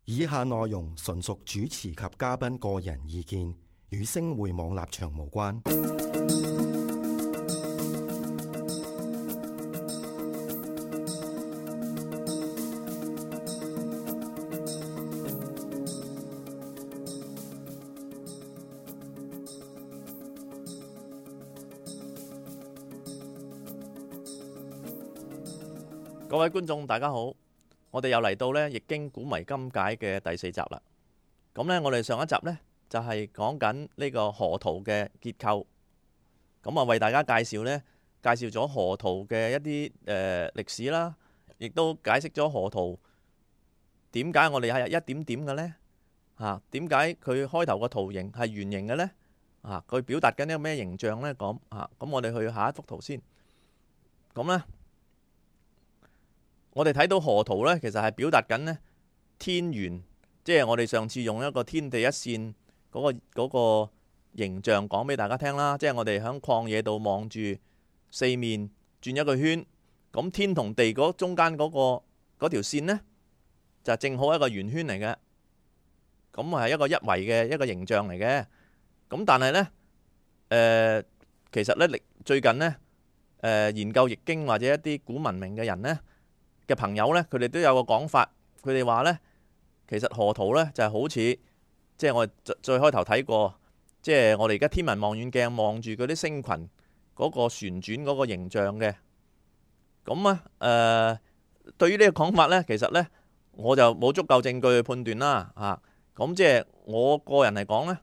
以下內容純屬主持及嘉賓個人意見，與星匯網立場無關。各位觀眾大家好，我哋又嚟到呢《易經古謎今解》嘅第4集啦。咁呢，我哋上一集呢就係講緊呢個河圖嘅結構，咁啊為大家介紹咗河圖嘅一啲歷史啦，亦都解釋咗河圖點解我哋係一點點嘅呢？點解佢開頭個圖形係圓形嘅呢？佢表達緊一個咩形象呢？咁我哋去下一幅圖先。咁呢，我哋睇到河圖呢，其實係表達緊呢天圓，即係我哋上次用一個天地一線嗰個形象講俾大家聽啦。即係我哋喺曠野度望住四面轉一個圈，咁天同地嗰中間嗰條線呢，就正好一個圓圈嚟嘅，咁係一個一維嘅一個形象嚟嘅。咁但係呢，其實呢最近呢，研究易經或者一啲古文明嘅人呢嘅朋友呢，佢哋都有個講法，佢哋話呢，其實河圖呢就係好似，即係我哋最開頭睇過，即係我哋而家天文望遠鏡望住嗰啲星群嗰個旋轉嗰個形象嘅。咁對於呢個講法呢，其實呢我就冇足夠證據去判斷啦。咁即係我個人嚟講呢，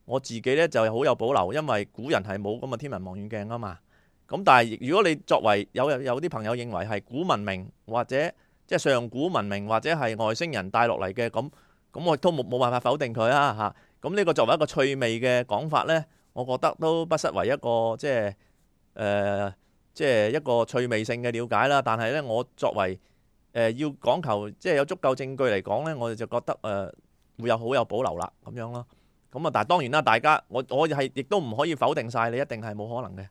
我自己呢就係好有保留，因為古人係冇咁嘅天文望遠鏡啊嘛。咁但係如果你作為有啲朋友認為係古文明或者即係上古文明或者係外星人帶落嚟嘅，咁我都冇辦法否定佢啊。咁呢個作為一個趣味嘅講法呢，我覺得都不失為一個即係一個趣味性嘅了解啦。但係呢，我作為要講求即係有足夠證據嚟講呢，我哋就覺得會有好有保留啦咁樣咯。咁但係當然啦，大家我係亦都唔可以否定晒你一定係冇可能嘅。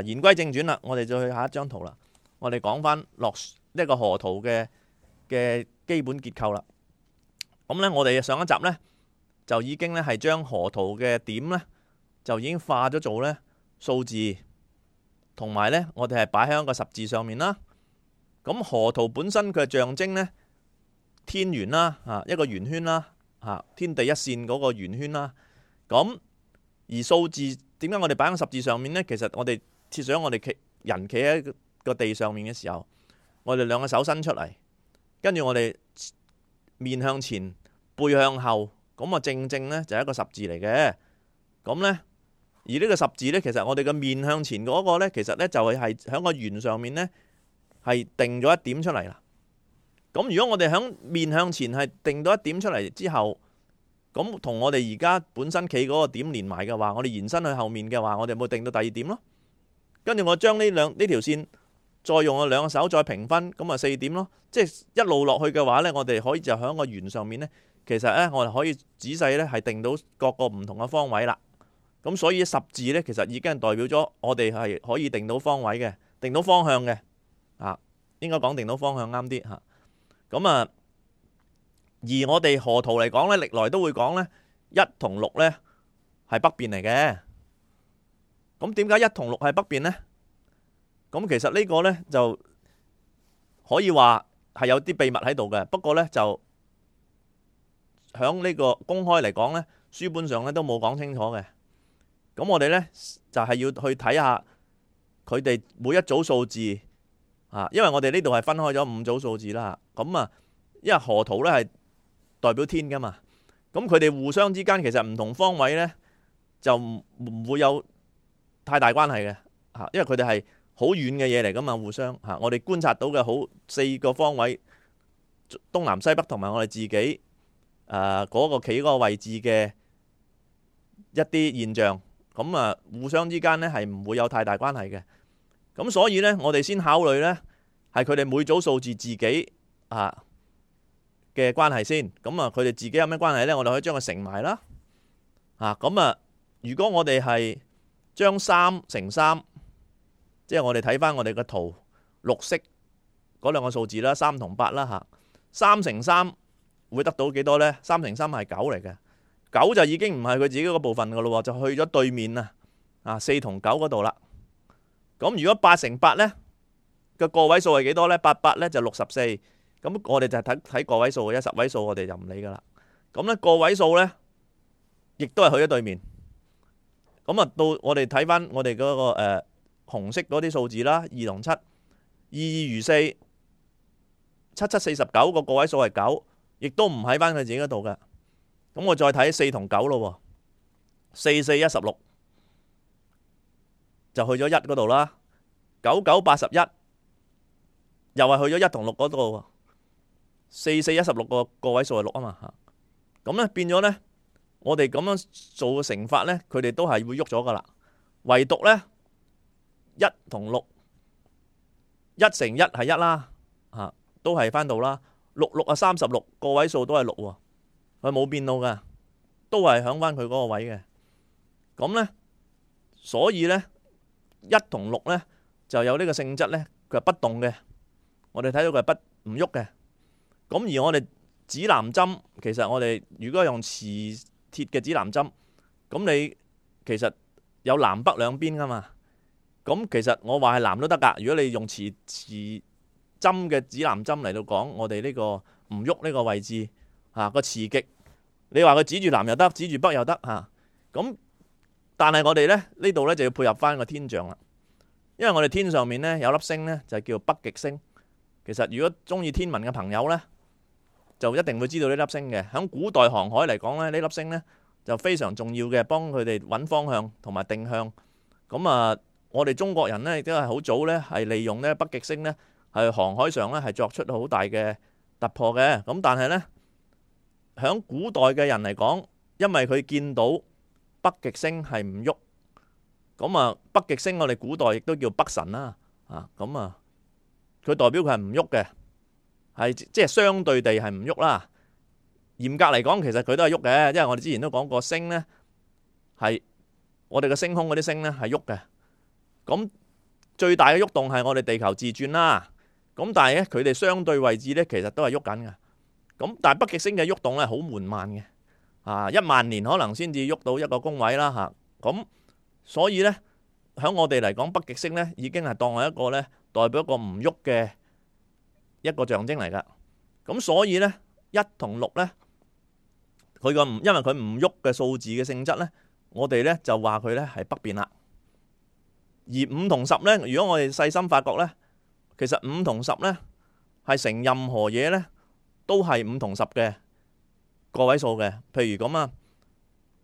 言歸正傳啦，我哋再去下一張圖啦。我哋講翻落呢個河圖嘅基本結構啦。咁呢，我哋上一集呢就已經呢係將河圖嘅點呢就已經化咗做呢數字，同埋呢我哋係擺喺一個十字上面啦。咁河圖本身佢係象徵呢天圓啦，一個圓圈啦，天地一線嗰個圓圈啦。咁而數字點解我哋擺喺十字上面呢？其實我哋設想我哋人企喺個地上面嘅時候，我哋兩個手伸出嚟，跟住我哋面向前，背向後，咁正呢就係一個十字嚟嘅。咁呢，而呢個十字呢，其實我哋嘅面向前嗰個呢，其實呢就係喺個圓上面呢，係定咗一點出嚟啦。咁如果我哋喺面向前係定到一點出嚟之後，咁同我哋而家本身企嗰個點連埋嘅話，我哋延伸去後面嘅話，我哋咪定到第二點咯。跟住我將呢條線再用我兩個手再平分，咁啊4點咯。即係一路落去嘅話呢，我哋可以就喺個圓上面呢，其實呢，我哋可以仔細呢係定到各個唔同嘅方位啦。咁所以十字呢，其實已經代表咗我哋係可以定到方位嘅，定到方向嘅。應該講定到方向啱啲嚇。咁而我哋河圖嚟講呢，歷來都會講呢1同6呢係北邊嚟嘅。咁點解1同6係北邊呢？咁其實呢個呢就可以話係有啲秘密喺度嘅。不過呢，就響呢個公開嚟講呢，書本上呢都冇講清楚嘅。咁我哋呢就係要去睇下佢哋每一組數字，因為我哋呢度係分開咗5組數字啦。咁因為河圖呢係代表天噶嘛，咁佢哋互相之間其實唔同方位呢，就唔會有太大關係嘅，因為佢哋係好遠嘅嘢嚟噶嘛，互相我哋觀察到嘅好4個方位，東南西北同埋我哋自己嗰個企嗰個位置嘅一啲現象，咁互相之間呢係唔會有太大關係嘅。咁所以呢，我哋先考慮呢係佢哋每組數字自己嘅關係先。咁佢哋自己有咩關係呢？我哋可以將佢乘埋啦。如果我哋係將3乘3，即係我哋睇翻我哋嘅圖，綠色嗰兩個數字啦，3同8啦嚇。3乘3會得到幾多呢？3乘3係9嚟嘅，9就已經唔係佢自己嗰部分噶咯，就去咗對面啊，4同9嗰度啦。咁如果8乘8呢個個位數係幾多呢？8呢就64，咁我哋就係睇個位數嘅，10位數我哋就唔理噶啦。咁呢個位數呢亦都係去咗對面。咁啊到我哋睇翻我哋嗰個紅色嗰啲數字啦，2同7，2如4。749個位數係9，亦都唔喺翻佢自己嗰度嘅。咁我再睇4同9咯，4 4 16就去咗1嗰度啦。9 9 81又係去咗1同6嗰度。4 4 16個位數係6啊嘛。咁咧變咗咧，我哋咁樣做嘅乘法咧，佢哋都係會喐咗噶啦。唯獨咧1同6，1乘1係1啦，都係翻到啦，6 6 36個位數都係6喎，佢冇變到嘅，都係響翻佢嗰個位嘅。咁呢，所以呢1同6呢就有呢個性質呢，佢係不動嘅。我哋睇到佢係唔喐嘅。咁而我哋指南針，其實我哋如果用磁鐵嘅指南針，咁你其實有南北兩邊噶嘛。咁其實我話係南都得噶。如果你用磁針嘅指南針嚟到講，我哋呢個唔喐呢個位置個磁極，你話佢指住南又得，指住北又得咁。但係我哋呢度呢就要配合翻個天象啦，因為我哋天上面呢有粒星呢就叫北極星。其實如果中意天文嘅朋友呢，就一定會知道呢粒星嘅。喺古代航海嚟講呢，呢粒星呢就非常重要嘅，幫佢哋揾方向同埋定向。咁啊，我哋中國人呢亦都係好早呢係利用呢北極星呢，係航海上咧係作出好大嘅突破嘅。咁但係呢，響古代嘅人嚟講，因為佢見到北極星係唔喐，咁啊北極星我哋古代亦都叫北辰啦，咁啊佢代表佢係唔喐嘅，係即係相對地係唔喐啦。嚴格嚟講，其實佢都係喐嘅，因為我哋之前都講過，星呢係我哋嘅星空嗰啲星呢係喐嘅。咁最大嘅喐動係我哋地球自轉啦。咁但係咧，佢哋相對位置咧，其實都係喐緊嘅。咁但係北極星嘅喐動咧，好緩慢嘅，1萬年可能先至喐到一個宮位啦咁所以咧，喺我哋嚟講，北極星咧已經係當係一個咧代表一個唔喐嘅一個象徵嚟噶。咁所以咧1同6咧，因為佢唔喐嘅數字嘅性質咧，我哋咧就話佢咧係北邊啦。而5同10咧，如果我哋細心發覺咧，其實5同10呢係成任何嘢呢都係5同10嘅個位數嘅。譬如咁啊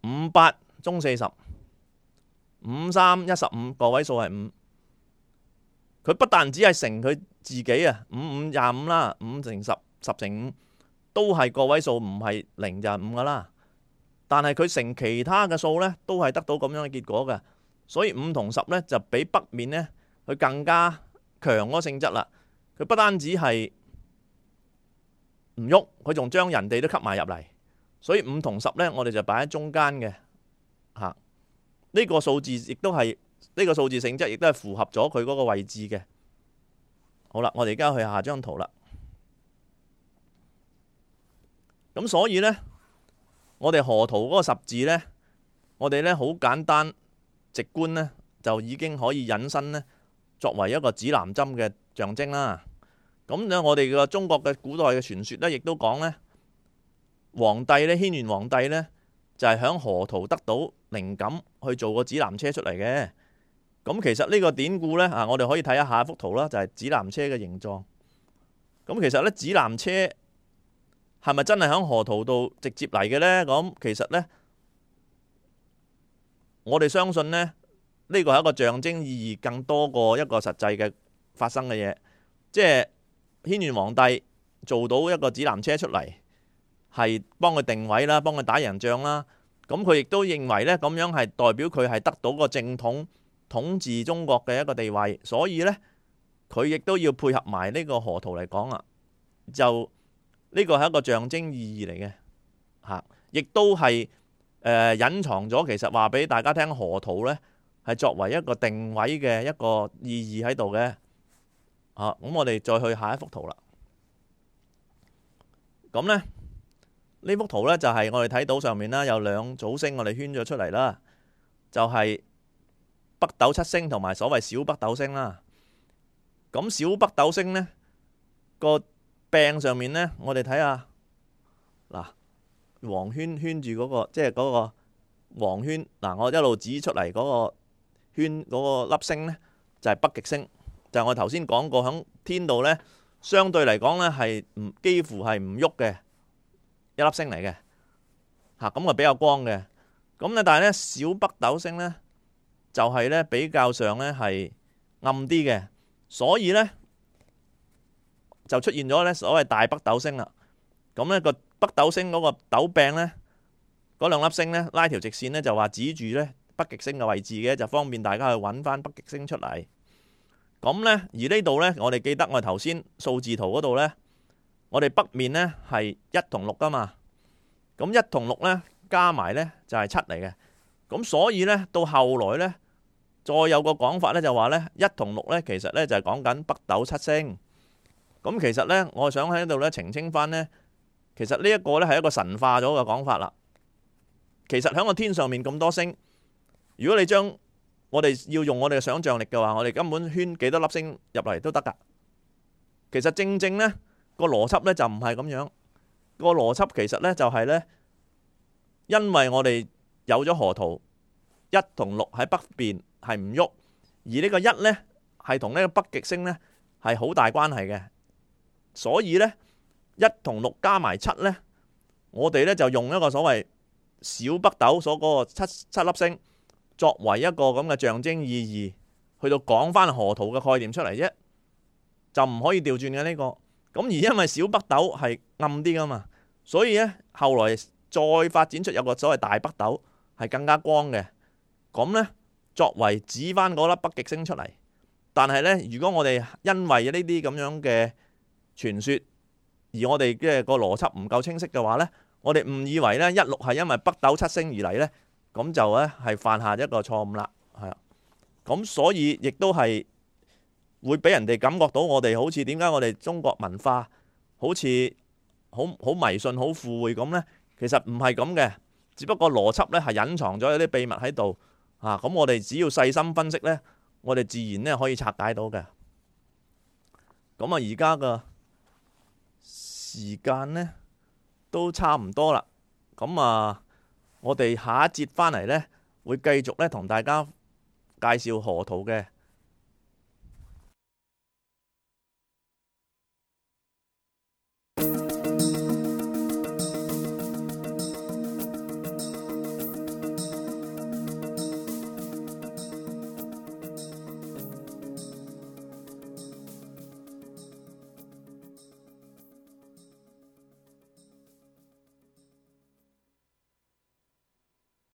，5 8中40，5 3 15個位數係5。佢不但只係乘佢自己啊，5 5 25啦，5乘10 10乘5都係個位數，唔係0就係5噶啦。但係佢乘其他嘅數呢，都係得到咁樣嘅結果嘅。所以5同10呢就比北面呢佢更加強嗰個性質啦。佢不單止係唔喐，佢仲將人哋都吸埋入嚟。所以5同10呢，我哋就擺喺中間嘅。呢個數字亦都係呢個數字性質，亦都係符合咗佢嗰個位置嘅。好啦，我哋而家去下張圖啦。咁所以呢，我哋河圖嗰個十字呢，我哋呢好簡單直觀呢，就已經可以引申呢，作為一個指南針嘅象徵啦。咁呢，我哋嘅中國嘅古代嘅傳說呢，亦都講呢，皇帝呢，軒轅皇帝呢，就係響河圖得到靈感去做個指南車出嚟嘅。咁其實呢個典故呢，我哋可以睇下一幅圖啦，就係指南車嘅形狀。咁其實呢，指南車係咪真係響河圖度直接嚟嘅呢？咁其實呢，我哋相信呢，呢個係一個象徵意義更多過一個實際嘅發生嘅嘢。即係軒轅皇帝做到一個指南車出嚟，係幫佢定位啦，幫佢打贏仗啦。咁佢亦都認為呢，咁樣係代表佢係得到個正統統治中國嘅一個地位。所以呢，佢亦都要配合埋呢個河圖嚟講啊。就呢個係一個象徵意義嚟嘅嚇，亦都係隱藏咗其實話俾大家聽，河圖呢係作為一個定位嘅一個意義喺度嘅。咁我哋再去下一幅圖啦。咁呢，呢幅圖呢，就係我哋睇到上面啦，有兩組星我哋圈咗出嚟啦，就係北斗七星同埋所謂小北斗星啦。咁小北斗星呢個柄上面呢，我哋睇下嗱，黃圈圈住嗰個，即係嗰個黃圈嗱，我一路指出嚟嗰個圈嗰個粒星呢，就係北極星，就係我頭先講過喺天度呢，相對嚟講呢係幾乎係唔喐嘅一粒星嚟嘅嚇，咁啊比較光嘅。咁咧，但係呢，小北斗星呢，就係呢比較上呢係暗啲嘅，所以呢，就出現咗呢所謂大北斗星啦。咁呢個北斗星嗰個斗柄呢，嗰兩粒星呢，拉條直線呢，就話指住呢北極星嘅位置嘅，就方便大家去揾翻北極星出嚟。咁呢，而呢度呢，我哋記得我哋頭先數字圖嗰度呢，我哋北面呢係1同6噶嘛。咁1同6呢，加埋呢就係7嚟嘅。咁所以呢，到後來呢，再有個講法呢，就話呢1同6呢，其實呢就係講緊北斗七星。咁其實呢，我想喺度呢澄清翻呢，其實呢一個呢係一個神化咗嘅講法啦。其實喺個天上面咁多星，如果你將我哋要用我哋嘅想像力嘅話，我哋根本圈幾多粒星入嚟都得㗎。其實正正呢個邏輯呢就唔係咁樣。個邏輯其實呢就係呢，因為我哋有咗河圖1同6喺北邊係唔喐，而呢個1呢係同呢個北極星呢係好大關係嘅，所以呢1同6加埋7呢，我哋呢就用一個所謂小北斗所嗰個七粒星作為一個咁嘅象徵意義，去到講翻河圖嘅概念出嚟啫，就唔可以調轉嘅呢個。咁而因為小北斗係暗啲噶嘛，所以呢後來再發展出有個所謂大北斗係更加光嘅，咁呢作為指翻嗰粒北極星出嚟。但係呢，如果我哋因為呢啲咁樣嘅傳說，而我哋嘅個邏輯唔夠清晰嘅話呢，我哋誤以為呢16係因為北斗七星而嚟呢，咁就呢係犯下一個錯誤啦，係啊。咁所以亦都係會俾人哋感覺到我哋好似點解我哋中國文化好似好迷信、好附會咁呢？其實唔係咁嘅，只不過邏輯呢係隱藏咗有啲秘密喺度啊。咁我哋只要細心分析呢，我哋自然呢可以拆解到嘅。咁啊，而家嘅時間呢都差唔多啦。咁啊，我哋下一節翻嚟呢，會繼續呢同大家介紹河圖嘅